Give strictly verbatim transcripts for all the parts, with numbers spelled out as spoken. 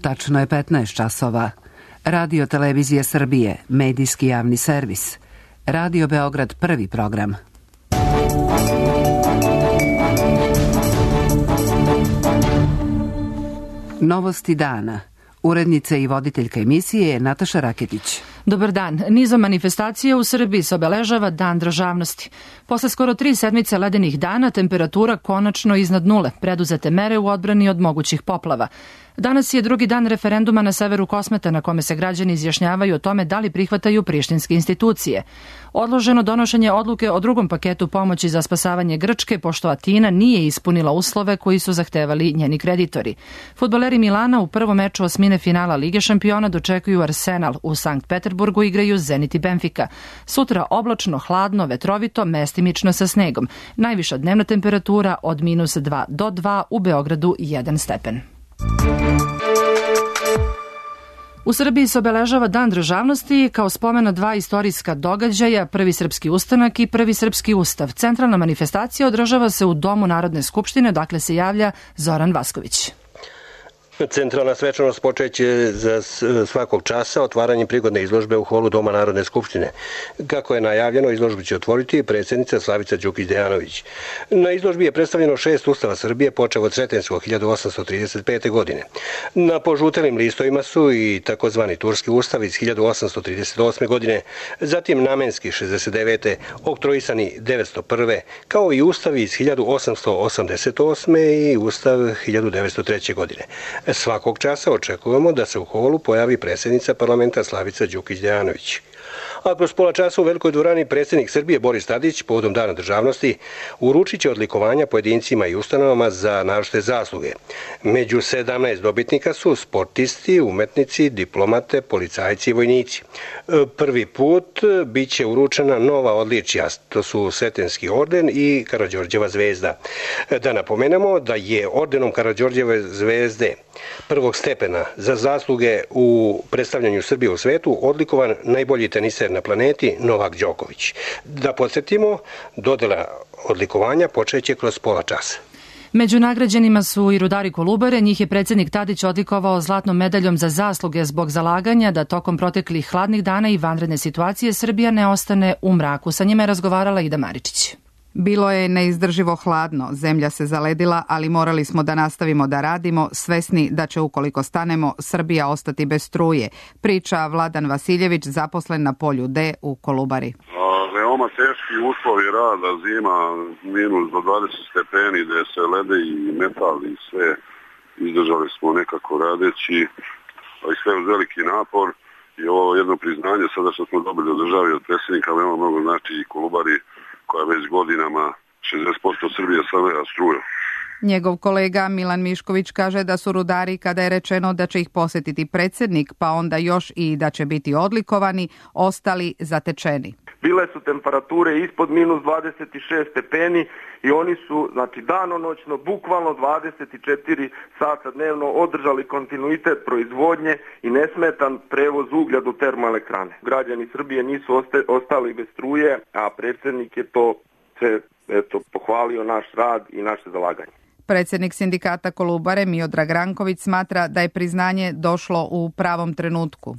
Tačno je petnaest časova. Radio Televizije Srbije, medijski javni servis. Radio Beograd, prvi program. Novosti dana. Urednica i voditeljka emisije je Nataša Raketić. Dobar dan. Nizom manifestacija u Srbiji se obeležava Dan državnosti. Posle skoro tri sedmice ledenih dana, temperatura konačno iznad nule, preduzete mere u odbrani od mogućih poplava. Danas je drugi dan referenduma na severu Kosmeta na kome se građani izjašnjavaju o tome da li prihvataju prištinske institucije. Odloženo donošenje odluke o drugom paketu pomoći za spasavanje Grčke, pošto Atina nije ispunila uslove koji su zahtevali njeni kreditori. Fudbaleri Milana u prvom meču osmine finala Lige šampiona dočekuju Arsenal. U Sankt Peterburgu igraju Zenit i Benfica. Sutra oblačno, hladno, vetrovito, mestimično sa snegom. Najviša dnevna temperatura od minus dva do dva, u Beogradu jedan stepen. U Srbiji se obeležava Dan državnosti kao spomen na dva istorijska događaja, Prvi srpski ustanak i Prvi srpski ustav. Centralna manifestacija održava se u Domu Narodne skupštine, dakle se javlja Zoran Vasković. Centralna svečanost počeće za svakog časa otvaranjem prigodne izložbe u holu Doma Narodne skupštine. Kako je najavljeno, izložbu će otvoriti predsjednica Slavica Đukić-Dejanović. Na izložbi je predstavljeno šest ustava Srbije, počev od Sretenskog hiljadu osamsto trideset pete. godine. Na požutelim listovima su i takozvani Turski ustav iz hiljadu osamsto trideset osme. godine, zatim Namenski šezdeset devete. oktroisani devetsto prve. kao i ustavi iz hiljadu osamsto osamdeset osme. i ustav hiljadu devetsto treće. godine. Svakog časa očekujemo da se u holu pojavi predsjednica parlamenta Slavica Đukić-Dejanović. A kroz pola časa u Velikoj dvorani predsjednik Srbije Boris Tadić povodom Dana državnosti uručit će odlikovanja pojedincima i ustanovama za naročite zasluge. Među sedamnaest dobitnika su sportisti, umetnici, diplomate, policajci i vojnici. Prvi put bit će uručena nova odličja, to su Sretenski orden i Karađorđeva zvezda. Da napomenemo da je ordenom Karađorđeve zvezde prvog stepena za zasluge u predstavljanju Srbije u svetu odlikovan najbolji teniser na planeti Novak Đoković. Da podsjetimo, dodela odlikovanja počeće kroz pola časa. Među nagrađenima su i rudari Kolubare, njih je predsjednik Tadić odlikovao zlatnom medaljom za zasluge zbog zalaganja da tokom proteklih hladnih dana i vanredne situacije Srbija ne ostane u mraku. Sa njima je razgovarala Ida Maričić. Bilo je neizdrživo hladno, zemlja se zaledila, ali morali smo da nastavimo da radimo, svesni da će ukoliko stanemo Srbija ostati bez struje, priča Vladan Vasiljević, zaposlen na polju D u Kolubari. Veoma teški uslovi rada, zima, minus do dvadeset stepeni, gde se lede i metal i sve izdržali smo nekako radeći, ali sve uz veliki napor i ovo jedno priznanje sada što smo dobili od države od predsjednika, veoma mnogo znači i Kolubari koja već godinama šezdeset posto Srbije saveva struju. Njegov kolega Milan Mišković kaže da su rudari, kada je rečeno da će ih posjetiti predsjednik, pa onda još i da će biti odlikovani, ostali zatečeni. Bile su temperature ispod minus dvadeset šest stepeni i oni su, znači danonoćno, bukvalno dvadeset četiri sata dnevno održali kontinuitet proizvodnje i nesmetan prevoz uglja do termoelektrane. Građani Srbije nisu ostali bez struje, a predsjednik je to se, eto, pohvalio naš rad i naše zalaganje. Predsjednik sindikata Kolubare Miodrag Ranković smatra da je priznanje došlo u pravom trenutku.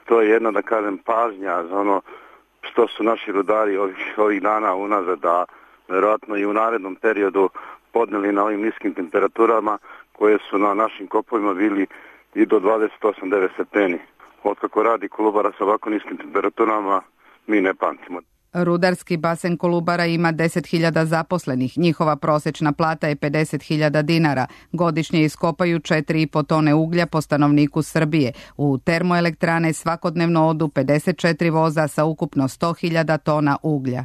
To je jedna, da kažem, pažnja za ono što su naši rudari ovih, ovih dana unazad, da verovatno i u narednom periodu podneli na ovim niskim temperaturama koje su na našim kopovima bili i do dvadeset osam do devet stepeni. Otkako radi Kolubara sa ovako niskim temperaturama, mi ne pamtimo. Rudarski basen Kolubara ima deset hiljada zaposlenih. Njihova prosječna plata je pedeset hiljada dinara. Godišnje iskopaju četiri i po tone uglja po stanovniku Srbije. U termoelektrane svakodnevno odu pedeset četiri voza sa ukupno sto hiljada tona uglja.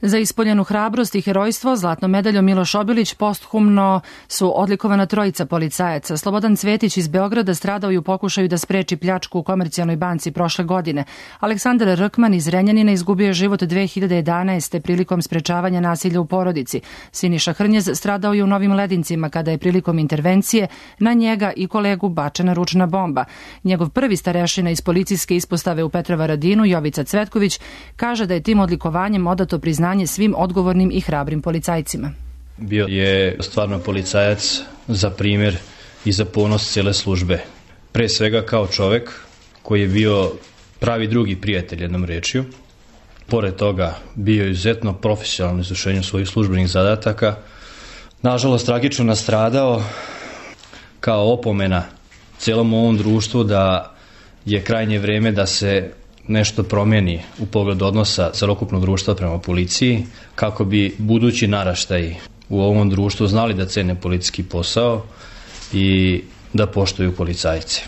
Za ispoljenu hrabrost i herojstvo zlatnom medaljom Miloš Obilić posthumno su odlikovana trojica policajaca. Slobodan Cvetić iz Beograda stradao i u pokušaju da spreči pljačku u Komercijalnoj banci prošle godine. Aleksandar Rkman iz Renjanina izgubio je život dve hiljade jedanaeste. prilikom sprečavanja nasilja u porodici. Siniša Hrnjez stradao je u Novim Ledincima kada je prilikom intervencije na njega i kolegu bačena ručna bomba. Njegov prvi starešina iz policijske ispostave u Petrovaradinu, Jovica Cvetković, kaže da je tim odlikovanjem odato priznanje svim odgovornim i hrabrim policajcima. Bio je stvarno policajac za primjer i za ponos cijele službe. pre svega kao čovek koji je bio pravi drugi prijatelj, jednom rečju. Pored toga bio je izuzetno profesionalan u izvršenju svojih službenih zadataka. Nažalost, tragično nastradao kao opomena celom ovom društvu da je krajnje vreme da se nešto promeni u pogledu odnosa celokupnog društva prema policiji, kako bi budući naraštaji u ovom društvu znali da cene policijski posao i da poštuju policajce.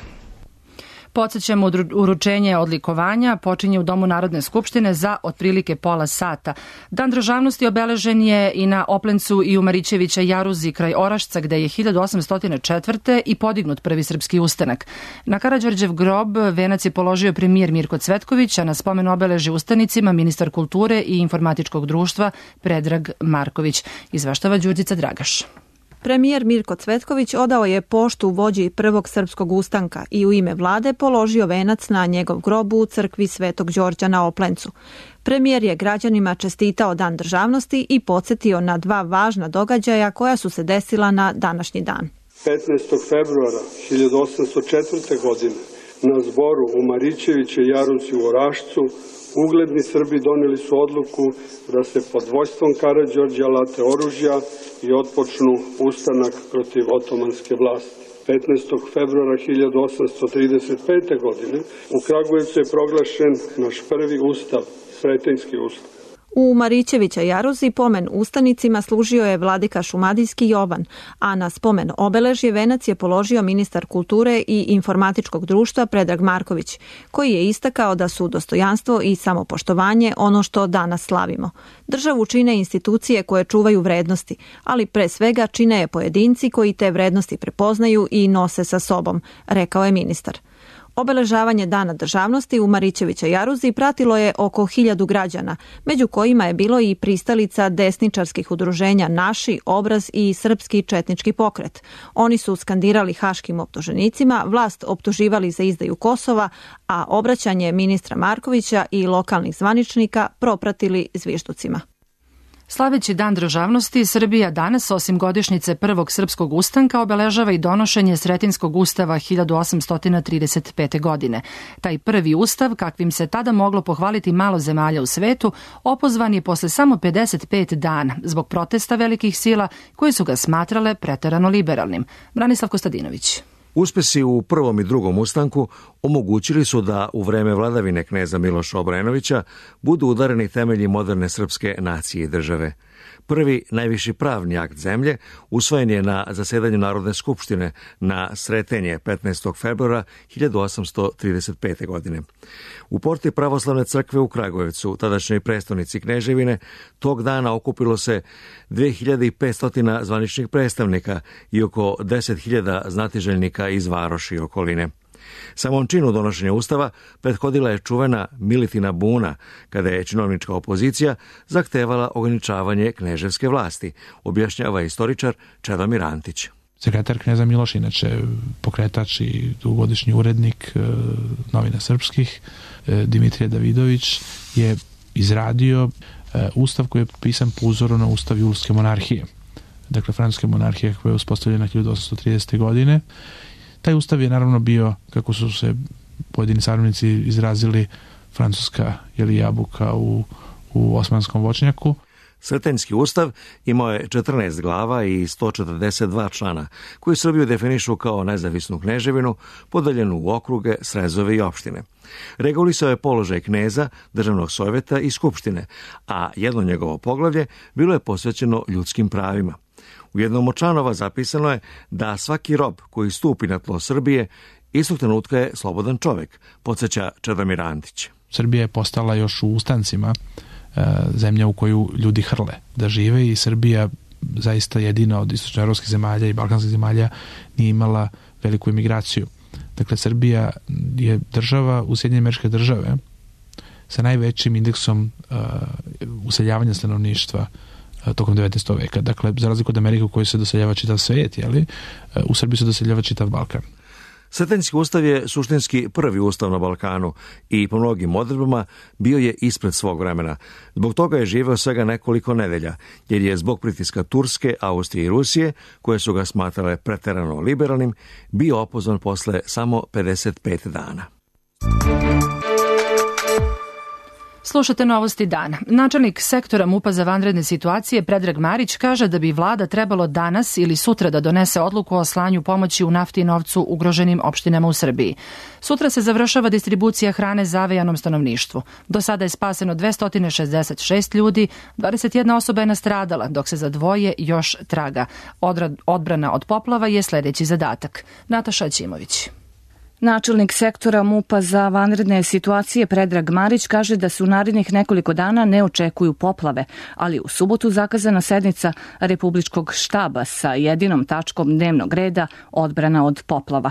Podsećamo, uručenje odlikovanja počinje u Domu Narodne skupštine za otprilike pola sata. Dan državnosti obeležen je i na Oplencu i u Marićevića Jaruzi kraj Orašca, gde je hiljadu osamsto četvrte. i podignut prvi srpski ustanak. Na Karađorđev grob venac je položio premijer Mirko Cvetković, a na spomen obeleži ustanicima ministar kulture i informatičkog društva Predrag Marković. Izveštava Đurđica Dragaš. Premijer Mirko Cvetković odao je poštu vođi prvog srpskog ustanka i u ime vlade položio venac na njegov grobu u crkvi Svetog Đorđa na Oplencu. Premijer je građanima čestitao Dan državnosti i podsjetio na dva važna događaja koja su se desila na današnji dan. petnaestog februara hiljadu osamsto četvrte. godine na zboru u Marićeviće Jaruzi u Orašcu ugledni Srbi doneli su odluku da se pod vojstvom Karađorđa late oružja i otpočnu ustanak protiv otomanske vlasti. petnaestog februara hiljadu osamsto trideset pete. godine u Kragujevcu je proglašen naš prvi ustav, Sretenjski ustav. U Marićevića Jaruzi pomen ustanicima služio je vladika šumadijski Jovan, a na spomen obeležje venac je položio ministar kulture i informatičkog društva Predrag Marković, koji je istakao da su dostojanstvo i samopoštovanje ono što danas slavimo. Državu čine institucije koje čuvaju vrednosti, ali pre svega čine je pojedinci koji te vrednosti prepoznaju i nose sa sobom, rekao je ministar. Obeležavanje Dana državnosti u Marićevića Jaruzi pratilo je oko hiljadu građana, među kojima je bilo i pristalica desničarskih udruženja Naši, Obraz i Srpski četnički pokret. Oni su skandirali haškim optuženicima, vlast optuživali za izdaju Kosova, a obraćanje ministra Markovića i lokalnih zvaničnika propratili zvižducima. Slaveći Dan državnosti, Srbija danas, osim godišnjice prvog srpskog ustanka, obeležava i donošenje Sretenjskog ustava hiljadu osamsto trideset pete. godine. Taj prvi ustav, kakvim se tada moglo pohvaliti malo zemalja u svetu, opozvan je posle samo pedeset pet dana zbog protesta velikih sila koje su ga smatrale preterano liberalnim. Branislav Kostadinović. Uspesi u prvom i drugom ustanku omogućili su da u vreme vladavine kneza Miloša Obrenovića budu udareni temelji moderne srpske nacije i države. Prvi najviši pravni akt zemlje usvojen je na zasedanju Narodne skupštine na Sretenje petnaestog februara hiljadu osamsto trideset pete. godine. U porti Pravoslavne crkve u Kragujevcu, tadašnjoj prestonici Kneževine, tog dana okupilo se dve hiljade petsto zvaničnih predstavnika i oko deset hiljada znatiželjnika iz varoši i okoline. Samom činu donošenja ustava prethodila je čuvena Militina buna, kada je činovnička opozicija zahtevala ograničavanje kneževske vlasti, objašnjava istoričar Čedomir Antić. Sekretar kneza Miloš, inače pokretač i dugogodišnji urednik e, novina srpskih, e, Dimitrije Davidović, je izradio e, ustav koji je pisan po uzoru na ustav Julske monarhije. Dakle, francuske monarhije koja je uspostavljena hiljadu osamsto tridesete. godine. Taj ustav je naravno bio, kako su se pojedini savremenici izrazili, francuska ili jabuka u, u osmanskom voćnjaku. Sretenjski ustav imao je četrnaest glava i sto četrdeset dva člana, koji Srbiju definišu kao nezavisnu kneževinu, podeljenu u okruge, srezove i opštine. Regulisao je položaj kneza, državnog sovjeta i skupštine, a jedno njegovo poglavlje bilo je posvećeno ljudskim pravima. U jednom od članova zapisano je da svaki rob koji stupi na tlo Srbije istog trenutka je slobodan čovek, podsjeća Čedomir Antić. Srbija je postala još u ustancima e, zemlja u koju ljudi hrle da žive i Srbija zaista jedina od istočnoevropskih zemalja i balkanskih zemalja nije imala veliku emigraciju. Dakle, Srbija je država u Sjedinjene Američke Države sa najvećim indeksom e, useljavanja stanovništva tokom devetnaestog veka. Dakle, za razliku od Amerike u kojoj se doseljava čitav svijet, jeli, u Srbiji se doseljava čitav Balkan. Sretenjski ustav je suštinski prvi ustav na Balkanu i po mnogim odredbama bio je ispred svog vremena. Zbog toga je živeo svega nekoliko nedelja, jer je zbog pritiska Turske, Austrije i Rusije, koje su ga smatrale preterano liberalnim, bio opozvan posle samo pedeset pet dana. Slušate novosti dana. Načelnik sektora MUP-a za vanredne situacije Predrag Marić kaže da bi vlada trebalo danas ili sutra da donese odluku o slanju pomoći u nafti i novcu ugroženim opštinama u Srbiji. Sutra se završava distribucija hrane zavejanom stanovništvu. Do sada je spaseno dvesta šezdeset šest ljudi, dvadeset jedna osoba je nastradala, dok se za dvoje još traga. Odbrana od poplava je sledeći zadatak. Nataša Ćimović. Načelnik sektora MUP-a za vanredne situacije Predrag Marić kaže da se u narednih nekoliko dana ne očekuju poplave, ali u subotu zakazana sednica Republičkog štaba sa jedinom tačkom dnevnog reda odbrana od poplava.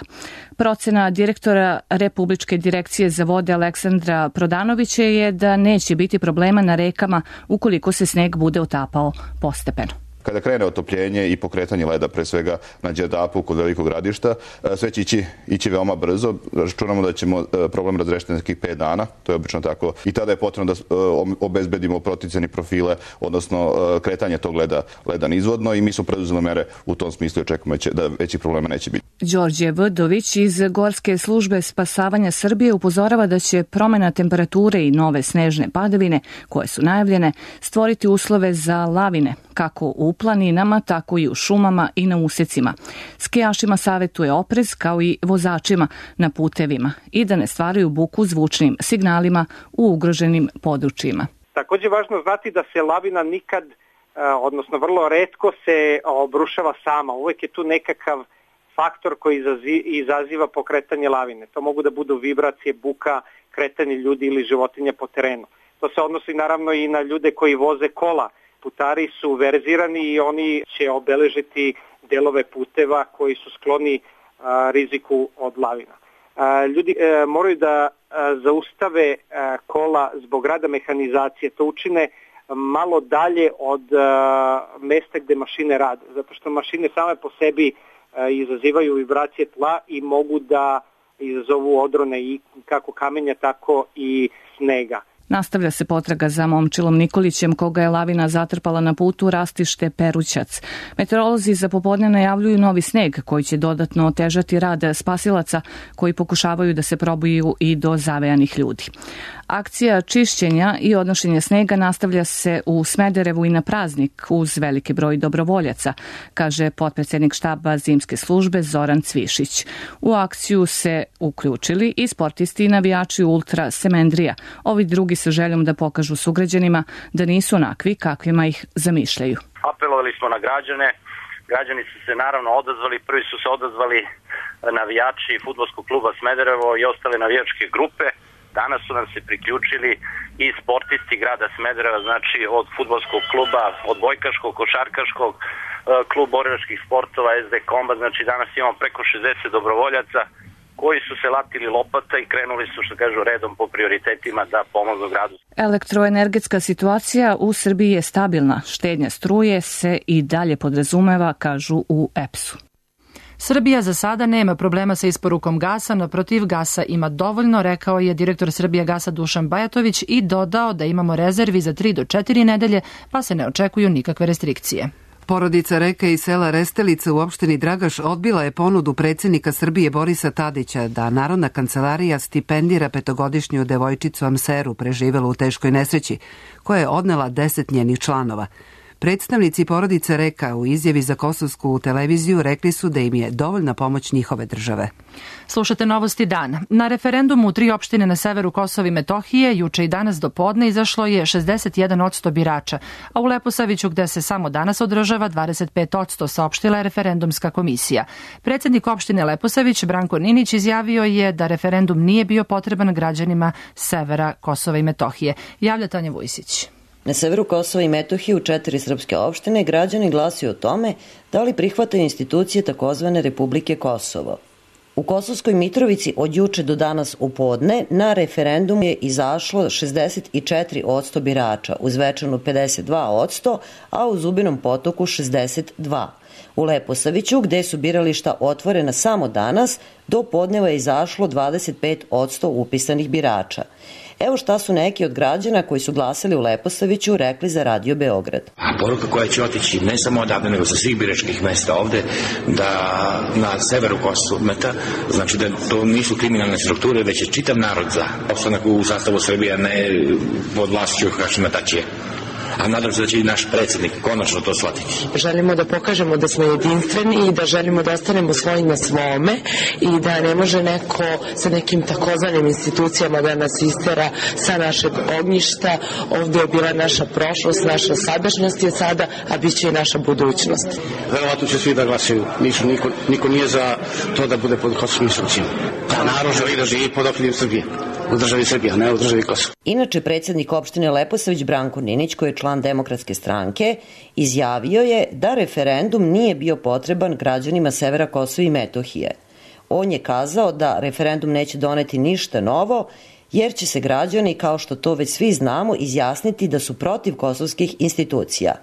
Procena direktora Republičke direkcije za vode Aleksandra Prodanovića je da neće biti problema na rekama ukoliko se sneg bude otapao postepeno. Kada krene otopljenje i pokretanje leda, pre svega na Đerdapu kod Velikog Gradišta, sve će ići, ići veoma brzo. Računamo da ćemo problem razrešiti nekih pet dana, to je obično tako. I tada je potrebno da obezbedimo proticajne profile, odnosno kretanje tog leda, leda nizvodno i mi smo preduzeli mere u tom smislu i očekujemo da većih problema neće biti. Đorđe Vdović iz Gorske službe spasavanja Srbije upozorava da će promena temperature i nove snežne padavine, koje su najavljene, stvoriti uslove za lavine, kako u planinama, tako i u šumama i na usecima. Skijašima savetuje oprez kao i vozačima na putevima i da ne stvaraju buku zvučnim signalima u ugroženim područjima. Takođe je važno znati da se lavina nikad, odnosno vrlo retko se obrušava sama. Uvek je tu nekakav faktor koji izaziva pokretanje lavine. To mogu da budu vibracije, buka, kretanje ljudi ili životinja po terenu. To se odnosi naravno i na ljude koji voze kola. Putari su verzirani i oni će obeležiti delove puteva koji su skloni a, riziku od lavina. A, ljudi a, moraju da a, zaustave a, kola zbog rada mehanizacije. To učine malo dalje od a, mesta gde mašine rade, zato što mašine same po sebi a, izazivaju vibracije tla i mogu da izazovu odrone i kako kamenja, tako i snega. Nastavlja se potraga za Momčilom Nikolićem, koga je lavina zatrpala na putu Rastište Perućac. Meteorolozi za popodne najavljuju novi sneg koji će dodatno otežati rad spasilaca koji pokušavaju da se probuju i do zavejanih ljudi. Akcija čišćenja i odnošenja snega nastavlja se u Smederevu i na praznik uz veliki broj dobrovoljaca, kaže potpredsednik štaba zimske službe Zoran Cvišić. U akciju se uključili i sportisti i navijači Ultra Semendrija. Ovi drugi sa željom da pokažu sugrađanima da nisu onakvi kakvima ih zamišljaju. Apelovali smo na građane, građani su se naravno odazvali, prvi su se odazvali navijači fudbalskog kluba Smederevo i ostale navijačke grupe. Danas su nam se priključili i sportisti grada Smedereva, znači od fudbalskog kluba, od bojkaškog, košarkaškog, klub borilačkih sportova, es de Komba, znači danas imamo preko šezdeset dobrovoljaca koji su se latili lopata i krenuli su, što kažu, redom po prioritetima da pomognu gradu. Elektroenergetska situacija u Srbiji je stabilna. Štednja struje se i dalje podrazumeva, kažu u E P S-u. Srbija za sada nema problema sa isporukom gasa, naprotiv gasa ima dovoljno, rekao je direktor Srbijagasa Dušan Bajatović i dodao da imamo rezervi za tri do četiri nedelje, pa se ne očekuju nikakve restrikcije. Porodica Reke iz sela Restelica u opštini Dragaš odbila je ponudu predsjednika Srbije Borisa Tadića da Narodna kancelarija stipendira petogodišnju devojčicu Amseru preživelu u teškoj nesreći, koja je odnela deset njenih članova. Predstavnici porodice Reka u izjavi za kosovsku televiziju rekli su da im je dovoljna pomoć njihove države. Slušate novosti dana. Na referendumu u tri opštine na severu Kosova i Metohije juče i danas do podne izašlo je šezdeset jedan posto birača, a u Leposaviću gde se samo danas održava dvadeset pet posto saopštila je referendumska komisija. Predsjednik opštine Leposavić Branko Ninić izjavio je da referendum nije bio potreban građanima severa Kosova i Metohije. Javlja Tanja Vujsić. Na severu Kosova i Metohije u četiri srpske opštine građani glasuju o tome da li prihvataju institucije takozvane Republike Kosovo. U Kosovskoj Mitrovici od juče do danas u podne na referendum je izašlo šezdeset četiri posto birača, u Zvečanu pedeset dva posto, a u Zubinom Potoku šezdeset dva posto. U Leposaviću, gde su birališta otvorena samo danas, do podneva je izašlo dvadeset pet posto upisanih birača. Evo šta su neki od građana koji su glasali u Leposaviću rekli za Radio Beograd. A poruka koja će otići ne samo odavde, nego sa svih biračkih mesta ovde, da na severu Kosmeta, znači da to nisu kriminalne strukture, već je čitav narod za opstanak u sastavu Srbije, ne pod vlašću Hašima Tačija. A nadam se da će i naš predsjednik konačno to shvatiti. Želimo da pokažemo da smo jedinstveni i da želimo da ostanemo svoji na svome i da ne može neko sa nekim takozvanim institucijama da nas istera sa našeg ognjišta. Ovdje je bila naša prošlost, naša sadašnjost je sada, a bit će i naša budućnost. Verovatno će svi da glasaju. Nisu, niko, niko nije za to da bude pod kosovskim instrukcijama. Da narod želi da živi pod okriljem Srbije. U državi Srbija, ne u državi Kosovo. Inače, predsjednik opštine Leposavić Branko Ninić, koji je član Demokratske stranke, izjavio je da referendum nije bio potreban građanima severa Kosova i Metohije. On je kazao da referendum neće doneti ništa novo, jer će se građani, kao što to već svi znamo, izjasniti da su protiv kosovskih institucija.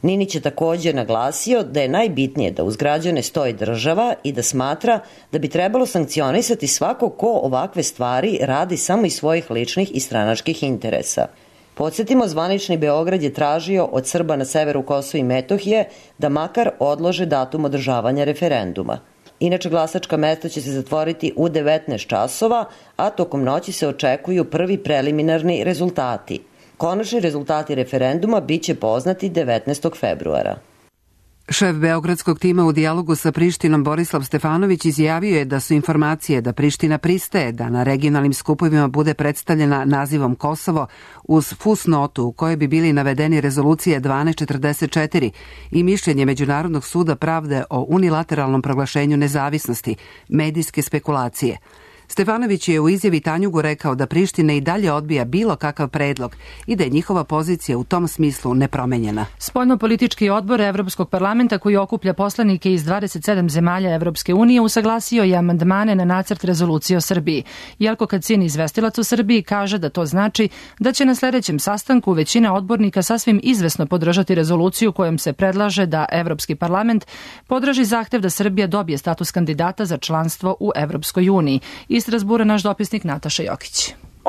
Ninić je također naglasio da je najbitnije da uz građane stoji država i da smatra da bi trebalo sankcionisati svako ko ovakve stvari radi samo iz svojih ličnih i stranačkih interesa. Podsjetimo, zvanični Beograd je tražio od Srba na severu Kosova i Metohije da makar odlože datum održavanja referenduma. Inače, glasačka mesta će se zatvoriti u devetnaest časova, a tokom noći se očekuju prvi preliminarni rezultati. Konačni rezultati referenduma bit će poznati devetnaestog februara. Šef beogradskog tima u dijalogu sa Prištinom Borislav Stefanović izjavio je da su informacije da Priština pristaje da na regionalnim skupovima bude predstavljena nazivom Kosovo uz fusnotu u kojoj bi bili navedeni rezolucije dvanaest četrdeset četiri i mišljenje Međunarodnog suda pravde o unilateralnom proglašenju nezavisnosti, medijske spekulacije. Stefanović je u izjavi Tanjugu rekao da Priština i dalje odbija bilo kakav predlog i da je njihova pozicija u tom smislu nepromenjena. Spoljnopolitički odbor Evropskog parlamenta, koji okuplja poslanike iz dvadeset sedam zemalja Evropske unije, usaglasio je amandmane na nacrt rezolucije o Srbiji. Jelko Kacin, izvestilac u Srbiji, kaže da to znači da će na sljedećem sastanku većina odbornika sasvim izvesno podržati rezoluciju kojom se predlaže da Evropski parlament podrži zahtev da Srbija dobije status kandidata za članstvo u Evropskoj uniji. Iz Strasbura naš dopisnik Nataša Jokić.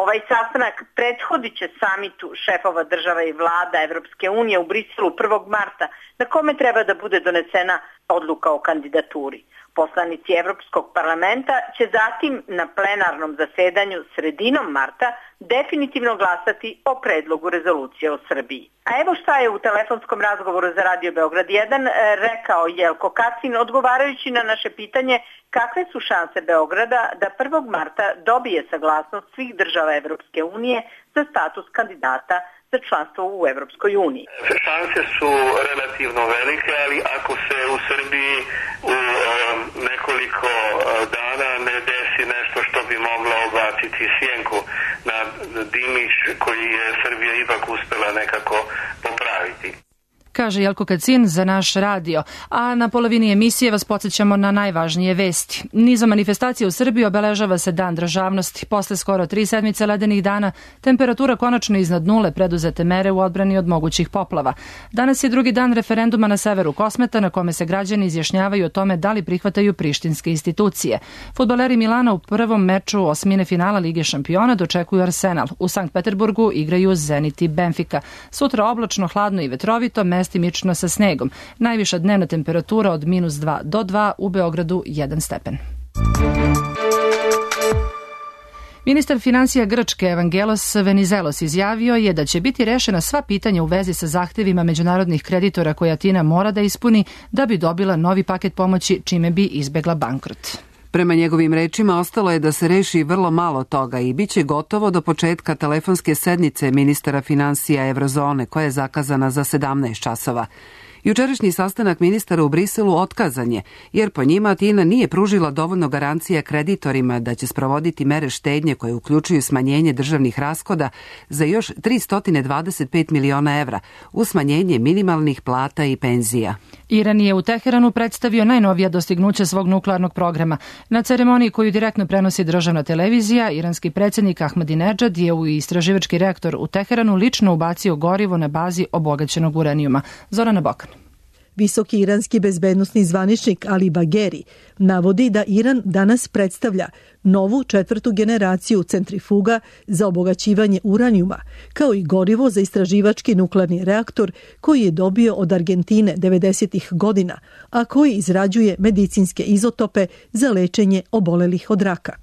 Ovaj sastanak prethodit će samitu šefova država i vlada Evropske unije u Briselu prvog marta, na kome treba da bude donesena odluka o kandidaturi. Poslanici Evropskog parlamenta će zatim na plenarnom zasedanju sredinom marta definitivno glasati o predlogu rezolucije o Srbiji. A evo šta je u telefonskom razgovoru za Radio Beograd jedan rekao Jelko Kacin, odgovarajući na naše pitanje kakve su šanse Beograda da prvog marta dobije saglasnost svih država Evropske unije za status kandidata za članstvo u Evropskoj uniji. Šanse su relativno velike, ali ako se u Srbiji u um, nekoliko dana ne desi nešto što bi moglo obaciti sjenku na dimić koji je Srbija ipak uspela nekako popraviti. Kaže Jelko Kacin za naš radio. A na polovini emisije vas podsjećamo na najvažnije vesti. Nizom manifestacija u Srbiji obeležava se Dan državnosti. Posle skoro tri sedmice ledenih dana, temperatura konačno iznad nule, preduzete mere u odbrani od mogućih poplava. Danas je drugi dan referenduma na severu Kosmeta, na kome se građani izjašnjavaju o tome da li prihvataju prištinske institucije. Fudbaleri Milana u prvom meču osmine finala Lige šampiona dočekuju Arsenal. U Sankt Peterburgu igraju Zenit i Benfica. Sutra oblačno, hladno i vetrovito, mestimično sa snegom. Najviša dnevna temperatura od minus dva do dva, u Beogradu jedan stepen. Ministar finansija Grčke Evangelos Venizelos izjavio je da će biti rešena sva pitanja u vezi sa zahtevima međunarodnih kreditora koje Atina mora da ispuni da bi dobila novi paket pomoći, čime bi izbegla bankrot. Prema njegovim rečima, ostalo je da se reši vrlo malo toga i bit će gotovo do početka telefonske sednice ministara finansija Evrozone, koja je zakazana za sedamnaest časova. Jučerašnji sastanak ministara u Briselu otkazan je, jer po njima Tina nije pružila dovoljno garancija kreditorima da će sprovoditi mere štednje koje uključuju smanjenje državnih rashoda za još tristo dvadeset pet miliona evra u smanjenje minimalnih plata i penzija. Iran je u Teheranu predstavio najnovija dostignuća svog nuklearnog programa. Na ceremoniji koju direktno prenosi državna televizija, iranski predsjednik Ahmadinejad je u istraživački reaktor u Teheranu lično ubacio gorivo na bazi obogaćenog uranijuma. Zorana Bokan. Visoki iranski bezbednosni zvaničnik Ali Bagheri navodi da Iran danas predstavlja novu četvrtu generaciju centrifuga za obogaćivanje uranijuma, kao i gorivo za istraživački nuklearni reaktor koji je dobio od Argentine devedesetih godina, a koji izrađuje medicinske izotope za lečenje obolelih od raka.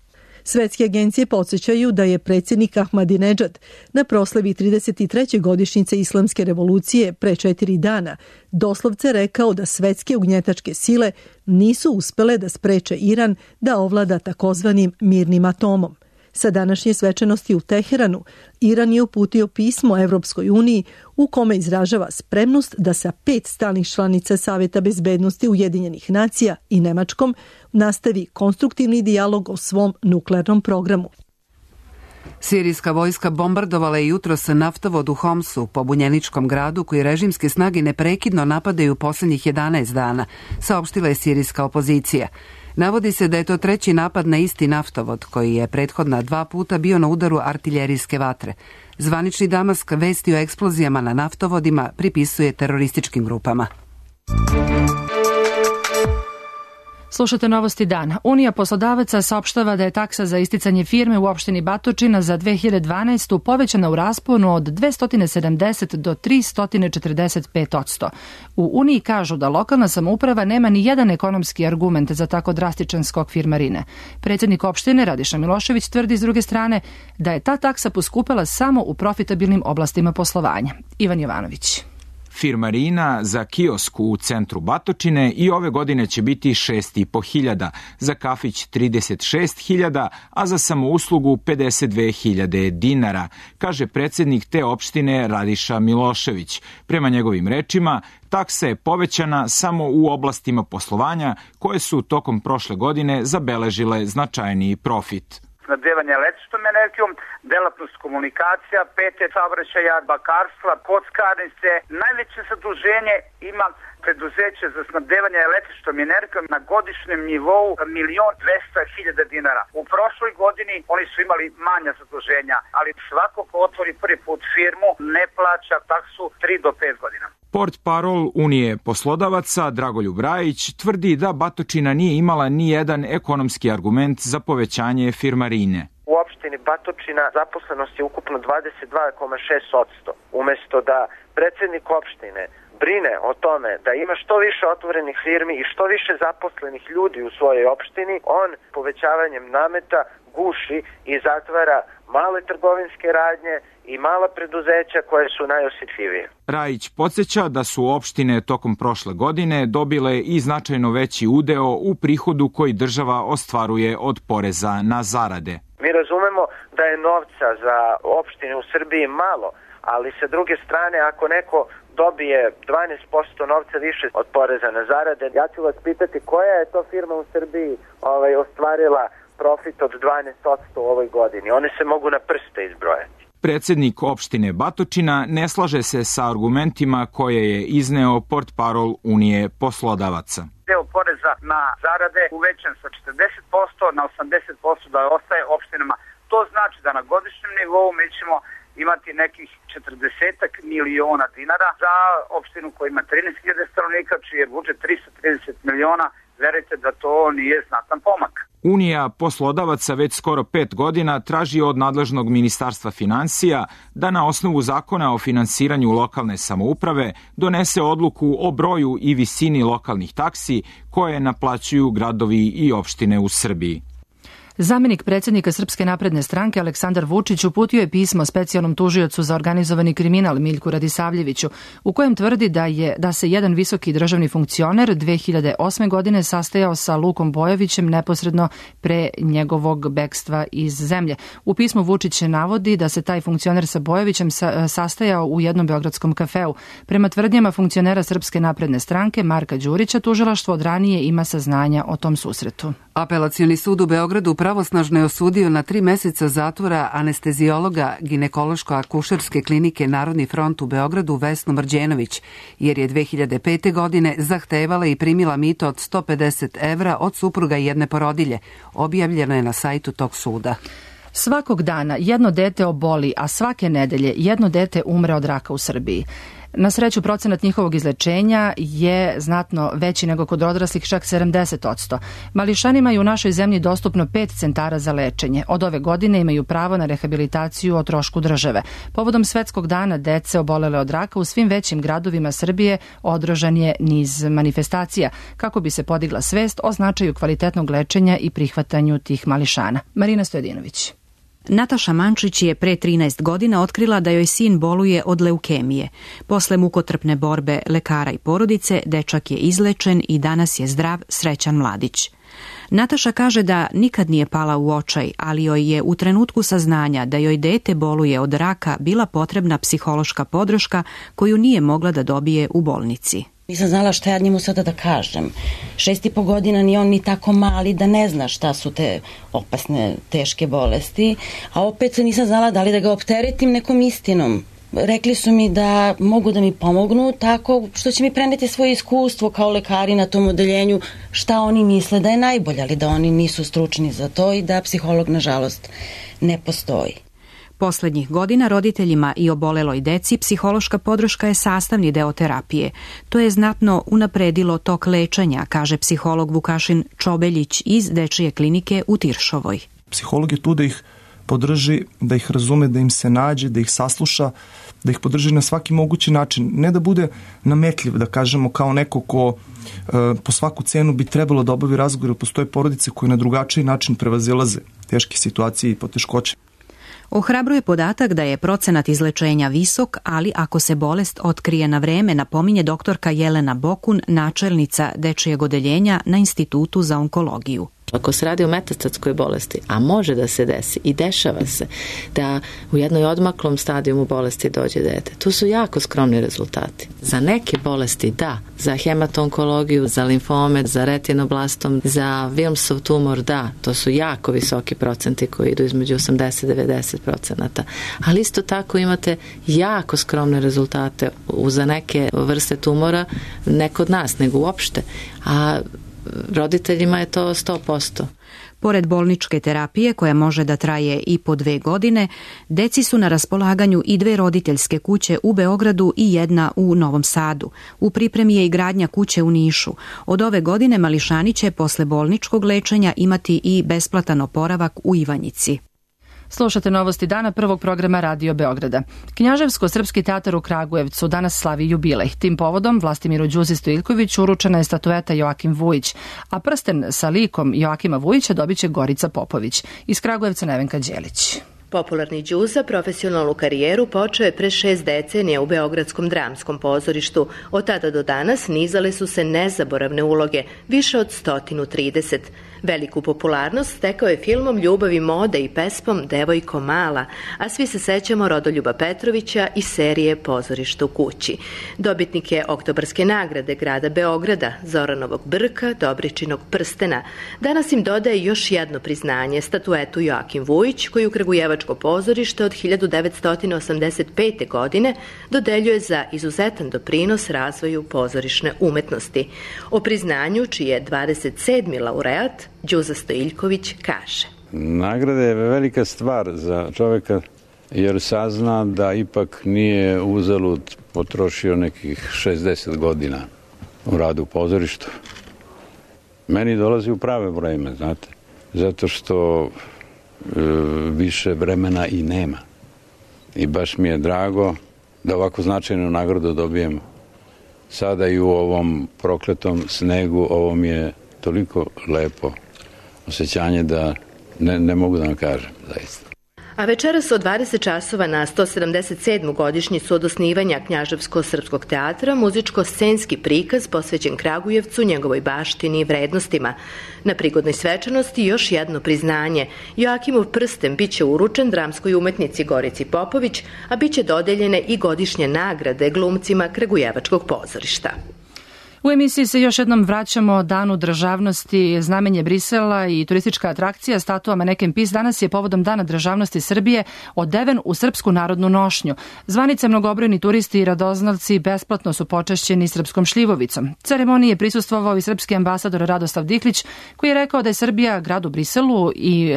Svetske agencije podsjećaju da je predsjednik Ahmadinejad na proslavi trideset treće godišnjice Islamske revolucije pre četiri dana doslovce rekao da svetske ugnjetačke sile nisu uspele da spreče Iran da ovlada takozvanim mirnim atomom. Sa današnje svečanosti u Teheranu, Iran je uputio pismo Evropskoj uniji u kome izražava spremnost da sa pet stalnih članica Saveta bezbednosti Ujedinjenih nacija i Nemačkom nastavi konstruktivni dijalog o svom nuklearnom programu. Sirijska vojska bombardovala je jutros naftovod u Homsu, pobunjeničkom gradu koji režimske snage neprekidno napadaju poslednjih jedanaest dana, saopštila je sirijska opozicija. Navodi se da je to treći napad na isti naftovod, koji je prethodna dva puta bio na udaru artiljerijske vatre. Zvanični Damask vesti o eksplozijama na naftovodima pripisuje terorističkim grupama. Slušate Novosti dana. Unija poslodavaca saopštava da je taksa za isticanje firme u opštini Batočina za dve hiljade dvanaestu povećana u rasponu od dvesta sedamdeset do tristo četrdeset pet odsto. U Uniji kažu da lokalna samouprava nema ni jedan ekonomski argument za tako drastičan skok firmarine. Predsjednik opštine Radiša Milošević tvrdi s druge strane da je ta taksa poskupela samo u profitabilnim oblastima poslovanja. Ivan Jovanović. Firmarina za kiosk u centru Batočine i ove godine će biti šest i po hiljada, za kafić trideset šest hiljada, a za samouslugu pedeset dve hiljade dinara, kaže predsjednik te opštine Radiša Milošević. Prema njegovim rečima, taksa je povećana samo u oblastima poslovanja koje su tokom prošle godine zabeležile značajniji profit. Snabdevanje električnom energijom, delatnost komunikacija, pete saobraćaja, bakarstva, kockarnice. Najveće zaduženje ima preduzeće za snabdevanje električnom energijom na godišnjem nivou milion dvesta hiljada dinara. U prošloj godini oni su imali manja zaduženja, ali svako ko otvori prvi put firmu ne plaća taksu tri do pet godina. Portparol Unije poslodavaca Dragoljub Rajić tvrdi da Batočina nije imala ni jedan ekonomski argument za povećanje firmarine. U opštini Batočina zaposlenost je ukupno dvadeset dva zarez šest odsto. Umesto da predsjednik opštine brine o tome da ima što više otvorenih firmi i što više zaposlenih ljudi u svojoj opštini, on povećavanjem nameta guši i zatvara male trgovinske radnje i mala preduzeća koje su najosjetljivije. Rajić podsjeća da su opštine tokom prošle godine dobile i značajno veći udeo u prihodu koji država ostvaruje od poreza na zarade. Mi razumemo da je novca za opštine u Srbiji malo, ali sa druge strane ako neko dobije dvanaest posto novca više od poreza na zarade, ja ću vas pitati koja je to firma u Srbiji ovaj, ostvarila profit od dvanaest odsto u ovoj godini. One se mogu na prste izbrojati. Predsjednik opštine Batočina ne slaže se sa argumentima koje je izneo portparol Unije poslodavaca. Deo poreza na zarade uvećan sa četrdeset posto na osamdeset posto da ostaje opštinama. To znači da na godišnjem nivou mi ćemo imati nekih četrdeset miliona dinara za opštinu koja ima trinaest hiljada stanovnika, čiji je budžet tristo trideset miliona. Verujte da to nije znatan pomak. Unija poslodavaca već skoro pet godina traži od nadležnog ministarstva financija da na osnovu zakona o finansiranju lokalne samouprave donese odluku o broju i visini lokalnih taksi koje naplaćuju gradovi i opštine u Srbiji. Zamenik predsjednika Srpske napredne stranke Aleksandar Vučić uputio je pismo specijalnom tužiocu za organizovani kriminal Miljku Radisavljeviću, u kojem tvrdi da je da se jedan visoki državni funkcioner dve hiljade osme godine sastajao sa Lukom Bojovićem neposredno pre njegovog bekstva iz zemlje. U pismu Vučić navodi da se taj funkcioner sa Bojovićem sa, sastajao u jednom beogradskom kafeu. Prema tvrdnjama funkcionera Srpske napredne stranke Marka Đurića, tužilaštvo od ranije ima saznanja o tom susretu. Apelacioni sud u Beogradu pravosnažno je osudio na tri meseca zatvora anestezijologa ginekološko-akušerske klinike Narodni front u Beogradu Vesnu Mrđenović, jer je dve hiljade pete. godine zahtevala i primila mito od sto pedeset evra od supruga jedne porodilje. Objavljeno je na sajtu tog suda. Svakog dana jedno dete oboli, a svake nedelje jedno dete umre od raka u Srbiji. Na sreću, procenat njihovog izlečenja je znatno veći nego kod odraslih, čak sedamdeset posto. Mališanima je u našoj zemlji dostupno pet centara za lečenje. Od ove godine imaju pravo na rehabilitaciju o trošku države. Povodom Svetskog dana dece obolele od raka u svim većim gradovima Srbije održan je niz manifestacija kako bi se podigla svest o značaju kvalitetnog lečenja i prihvatanju tih mališana. Marina Stojedinović. Nataša Mančić je pre trinaest godina otkrila da joj sin boluje od leukemije. Posle mukotrpne borbe lekara i porodice, dečak je izlečen i danas je zdrav, srećan mladić. Nataša kaže da nikad nije pala u očaj, ali joj je u trenutku saznanja da joj dete boluje od raka bila potrebna psihološka podrška koju nije mogla da dobije u bolnici. Nisam znala šta ja njemu sada da kažem. Šest i po godina ni on ni tako mali da ne zna šta su te opasne, teške bolesti, a opet nisam znala da li da ga opteretim nekom istinom. Rekli su mi da mogu da mi pomognu tako što će mi preneti svoje iskustvo kao lekari na tom odeljenju, šta oni misle da je najbolje, ali da oni nisu stručni za to i da psiholog nažalost ne postoji. Poslednjih godina roditeljima i oboleloj deci psihološka podrška je sastavni deo terapije. To je znatno unapredilo tok lečenja, kaže psiholog Vukašin Čobeljić iz Dečije klinike u Tiršovoj. Psiholog je tu da ih podrži, da ih razume, da im se nađe, da ih sasluša, da ih podrži na svaki mogući način. Ne da bude nametljiv, da kažemo, kao neko ko e, po svaku cenu bi trebalo da obavi razgovor. Postoje porodice koje na drugačiji način prevazilaze teške situacije i poteškoće. Ohrabruje podatak da je procenat izlečenja visok, ali ako se bolest otkrije na vreme, napominje doktorka Jelena Bokun, načelnica Dečijeg odeljenja na Institutu za onkologiju. Ako se radi o metastatskoj bolesti, a može da se desi i dešava se da u jednoj odmaklom stadijumu bolesti dođe dete, tu su jako skromni rezultati. Za neke bolesti da, za hematonkologiju, za limfome, za retinoblastom, za Wilmsov tumor da, to su jako visoki procenti koji idu između osamdeset do devedeset procenata. Ali isto tako imate jako skromne rezultate za neke vrste tumora, ne kod nas, nego uopšte. A roditeljima je to sto posto. Pored bolničke terapije, koja može da traje i po dve godine, deci su na raspolaganju i dve roditeljske kuće u Beogradu i jedna u Novom Sadu. U pripremi je i gradnja kuće u Nišu. Od ove godine mališani će posle bolničkog lečenja imati i besplatan oporavak u Ivanjici. Slušate novosti dana prvog programa Radio Beograda. Knjaževsko-srpski teatar u Kragujevcu danas slavi jubilej. Tim povodom Vlastimiru Đuzi Stojilković uručena je statueta Joakim Vujić, a prsten sa likom Joakima Vujića dobit će Gorica Popović. Iz Kragujevca Nevenka Đelić. Popularni Đuza profesionalnu karijeru počeo je pre šest decenija u Beogradskom dramskom pozorištu. Od tada do danas nizale su se nezaboravne uloge, više od sto trideset. Veliku popularnost stekao je filmom Ljubavi mode i pespom Devojko mala, a svi se sećamo Rodoljuba Petrovića i serije Pozorište u kući. Dobitnik je Oktobarske nagrade grada Beograda, Zoranovog brka, Dobričinog prstena. Danas im dodaje još jedno priznanje, statuetu Joakim Vujić, koji u Kragujevačko pozorište od hiljadu devetsto osamdeset pete. godine dodeljuje za izuzetan doprinos razvoju pozorišne umetnosti. O priznanju, čiji je dvadeset sedmi laureat, Đuza Stojiljković kaže. Nagrada je velika stvar za čoveka jer sazna da ipak nije uzalud potrošio nekih šezdeset godina u radu u pozorištu. Meni dolazi u prave vreme, znate, zato što e, više vremena i nema. I baš mi je drago da ovako značajnu nagradu dobijem sada i u ovom prokletom snegu. Ovo mi je toliko lepo osjećanje da ne, ne mogu da vam kažem, zaista. A večeras od dvadeset časova na sto sedamdeset sedmu godišnjicu od osnivanja Knjaževsko-srpskog teatra muzičko-scenski prikaz posvećen Kragujevcu, njegovoj baštini i vrednostima. Na prigodnoj svečanosti još jedno priznanje. Joakimov prsten biće uručen dramskoj umetnici Gorici Popović, a biće dodeljene i godišnje nagrade glumcima Kragujevačkog pozorišta. U emisiji se još jednom vraćamo Danu državnosti, znamenje Brisela i turistička atrakcija statua Maneken Pis danas je povodom Dana državnosti Srbije odeven u srpsku narodnu nošnju. Zvanice mnogobrojni turisti i radoznalci besplatno su počašćeni srpskom šljivovicom. Ceremoniji je prisustvovao i srpski ambasador Radoslav Dihlić, koji je rekao da je Srbija gradu Briselu i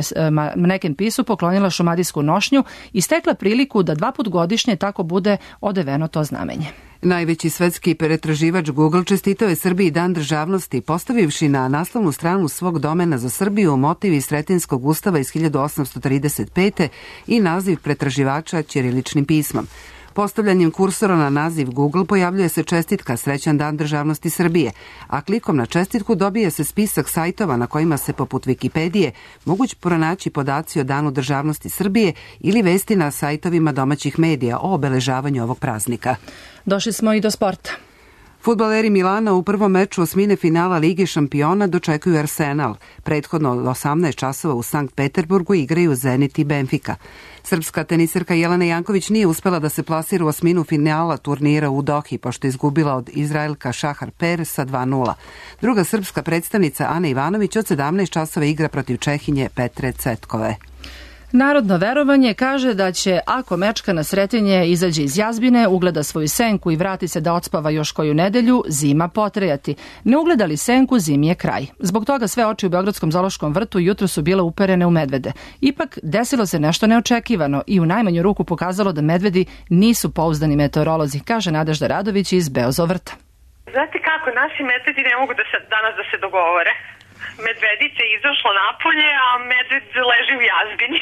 Maneken Pisu poklonila šumadijsku nošnju i stekla priliku da dva put godišnje tako bude odeveno to znamenje. Najveći svetski pretraživač Google čestitao je Srbiji Dan državnosti, postavivši na naslovnu stranu svog domena za Srbiju motiv iz Sretenskog ustava iz hiljadu osamsto trideset pete. i naziv pretraživača ćiriličnim pismom. Postavljanjem kursora na naziv Google pojavljuje se čestitka Srećan dan državnosti Srbije, a klikom na čestitku dobije se spisak sajtova na kojima se poput Wikipedije moguć pronaći podaci o Danu državnosti Srbije ili vesti na sajtovima domaćih medija o obeležavanju ovog praznika. Došli smo i do sporta. Fudbaleri Milana u prvom meču osmine finala Lige šampiona dočekuju Arsenal. Prethodno od osamnaest časova u Sankt Peterburgu igraju Zenit i Benfica. Srpska teniserka Jelena Janković nije uspela da se plasira u osminu finala turnira u Dohi, pošto je izgubila od Izraelka Šahar Per sa dva nula. Druga srpska predstavnica Ana Ivanović od sedamnaest časova igra protiv Čehinje Petre Cetkove. Narodno verovanje kaže da će, ako mečka na Sretenje izađe iz jazbine, ugleda svoju senku i vrati se da odspava još koju nedelju, zima potrajati. Ne ugleda li senku, zimi je kraj. Zbog toga sve oči u Beogradskom zoološkom vrtu jutro su bile uperene u medvede. Ipak, desilo se nešto neočekivano i u najmanju ruku pokazalo da medvedi nisu pouzdani meteorolozi, kaže Nadežda Radović iz Beozovrta. Znate kako, naši medvedi ne mogu da se, danas da se dogovore. Medvedice je izašlo napolje, a medved leži u jazbini.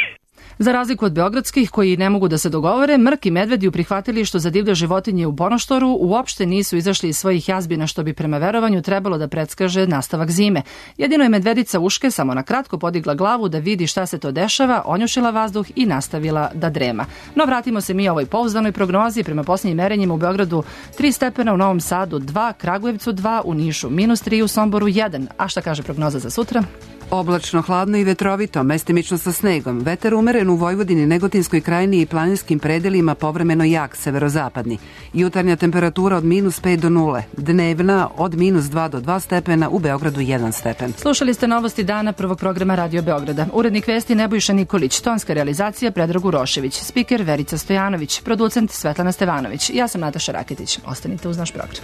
Za razliku od beogradskih, koji ne mogu da se dogovore, Mrk i medvedi u prihvatilištu za divlje životinje u Bonoštoru uopšte nisu izašli iz svojih jazbina, što bi prema verovanju trebalo da predskaže nastavak zime. Jedino je medvedica Uške samo na kratko podigla glavu da vidi šta se to dešava, onjušila vazduh i nastavila da drema. No vratimo se mi ovoj pouzdanoj prognozi. Prema posljednjim merenjima u Beogradu tri stepena, u Novom Sadu dva, Kragujevcu dva, u Nišu minus tri, u Somboru jedan. A šta kaže prognoza za sutra? Oblačno, hladno i vetrovito, mestimično sa snegom. Vetar umeren u Vojvodini, Negotinskoj krajini i planinskim predelima, povremeno jak, severozapadni. Jutarnja temperatura od minus pet do nule. Dnevna od minus dva do dva stepena, u Beogradu jedan stepen. Slušali ste novosti dana prvog programa Radio Beograda. Urednik vesti Nebojša Nikolić, tonska realizacija Predrag Urošević, spiker Verica Stojanović, producent Svetlana Stevanović. Ja sam Nataša Raketić. Ostanite uz naš program.